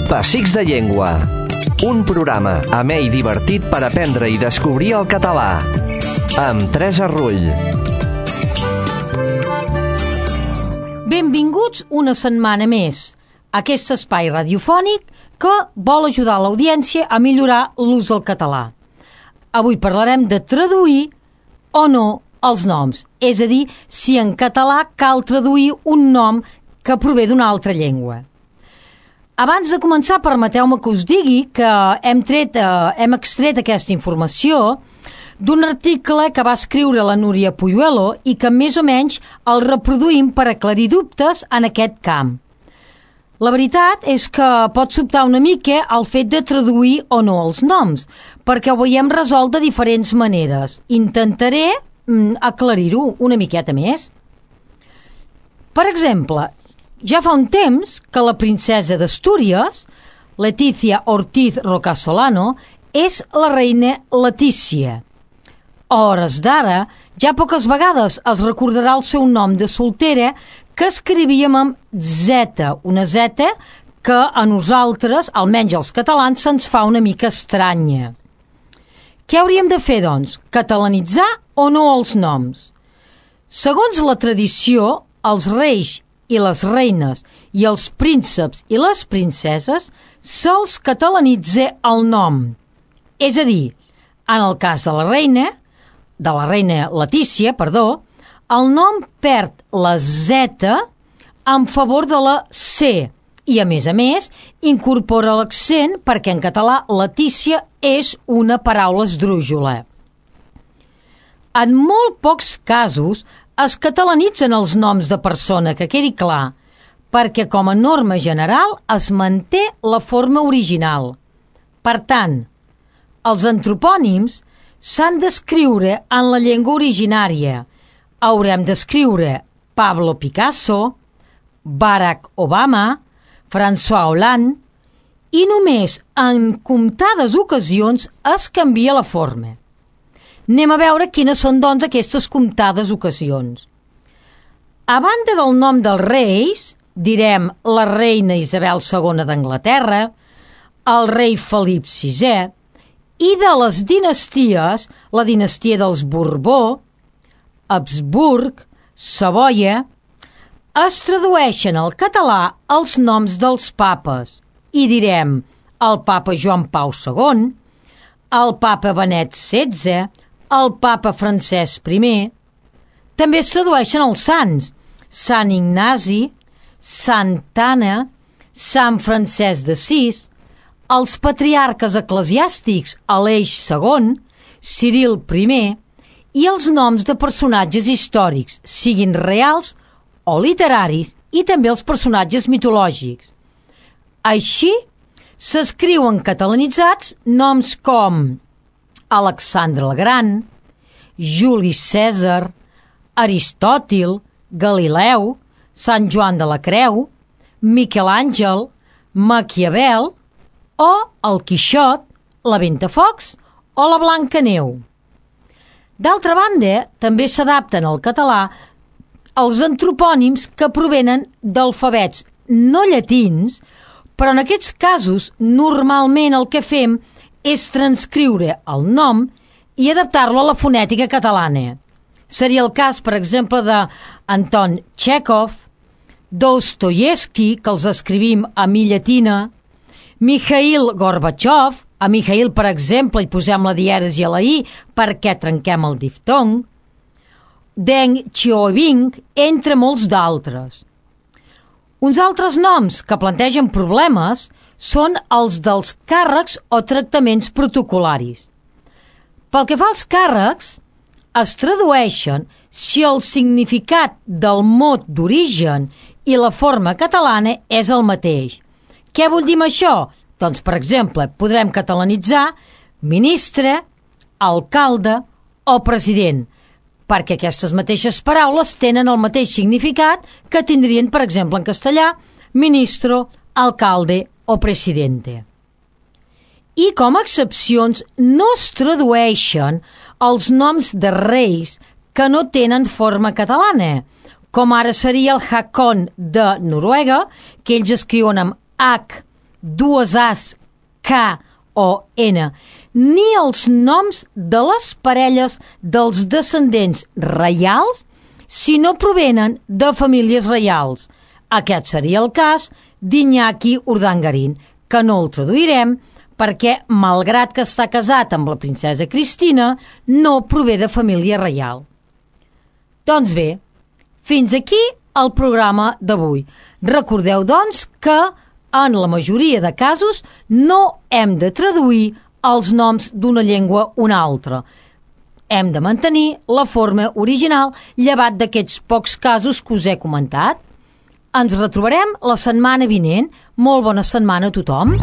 Pessics de Llengua. Un programa amè i divertit per aprendre i descobrir el català. Amb Teresa Rull. Benvinguts una setmana més a aquest espai radiofònic que vol ajudar l'audiència a millorar l'ús del català. Avui parlarem de traduir o no els noms, és a dir, si en català cal traduir un nom que prové d'una altra llengua. Abans de començar, permeteu-me que us digui que hem extret aquesta informació d'un article que va escriure la Núria Puyuelo i que més o menys el reproduïm per aclarir dubtes en aquest camp. La veritat és que pot sobtar una mica el fet de traduir o no els noms, perquè ho veiem resolt de diferents maneres. Intentaré aclarir-ho una miqueta més. Per exemple, ja fa un temps que la princesa d'Astúries, Letizia Ortiz Rocasolano, és la reina Letícia. A hores d'ara, ja poques vegades es recordarà el seu nom de soltera, que escrivíem amb Z, una Z que a nosaltres, almenys als catalans, se'ns fa una mica estranya. Què hauríem de fer, doncs? Catalanitzar o no els noms? Segons la tradició, els reis i les reines i els prínceps i les princeses se'ls catalanitza el nom. És a dir, en el cas de la reina Letícia, el nom perd la Z en favor de la C i, a més, incorpora l'accent perquè en català Letícia és una paraula esdrújula. En molt pocs casos es catalanitzen els noms de persona, que quedi clar, perquè com a norma general es manté la forma original. Per tant, els antropònims s'han d'escriure en la llengua originària. Haurem d'escriure Pablo Picasso, Barack Obama, François Hollande, i només en comptades ocasions es canvia la forma. Anem a veure quines són, doncs, aquestes comptades ocasions. A banda del nom dels reis, direm la reina Isabel II d'Anglaterra, el rei Felip VI, i de les dinasties, la dinastia dels Borbó, Habsburg, Savoia, es tradueixen al català els noms dels papes i direm el papa Joan Pau II, el papa Benet XVI, el papa Francesc I. També es tradueixen els sants, Sant Ignasi, Santa Anna, Sant Francesc d'Assís, els patriarques eclesiàstics Aleix II, Ciril I i els noms de personatges històrics, siguin reals o literaris, i també els personatges mitològics. Així, s'escriuen catalanitzats noms com Alexandre el Gran, Juli Cèsar, Aristòtil, Galileu, Sant Joan de la Creu, Miquel Àngel, Maquiavel o el Quixot, la Ventafocs o la Blancaneu. D'altra banda, també s'adapten al català els antropònims que provenen d'alfabets no llatins, però en aquests casos normalment el que fem és transcriure el nom i adaptar-lo a la fonètica catalana. Seria el cas, per exemple, d'Anton Txékhov, Dostoievski, que els escrivim a mi llatina, Mikhail Gorbachev, a Mikhail, per exemple, hi posem la dièresi a la i perquè trenquem el diftong, Deng Xiaoping, entre molts d'altres. Uns altres noms que plantegen problemes són els dels càrrecs o tractaments protocol·laris. Pel que fa als càrrecs, es tradueixen si el significat del mot d'origen i la forma catalana és el mateix. Què vull dir amb això? Doncs, per exemple, podrem catalanitzar ministre, alcalde o president, perquè aquestes mateixes paraules tenen el mateix significat que tindrien, per exemple, en castellà, ministro, alcalde o presidente. I com a excepcions no es tradueixen els noms de reis que no tenen forma catalana, com ara seria el Hakon de Noruega, que ells escriuen amb H dues As, K o N, ni els noms de les parelles dels descendents reials si no provenen de famílies reials. Aquest seria el cas d'Iñaki Urdangarín, que no el traduirem perquè, malgrat que està casat amb la princesa Cristina, no prové de família reial. Doncs bé, fins aquí el programa d'avui. Recordeu, doncs, que en la majoria de casos no hem de traduir els noms d'una llengua a una altra. Hem de mantenir la forma original, llevat d'aquests pocs casos que us he comentat. Ens retrobarem la setmana vinent. Molt bona setmana a tothom.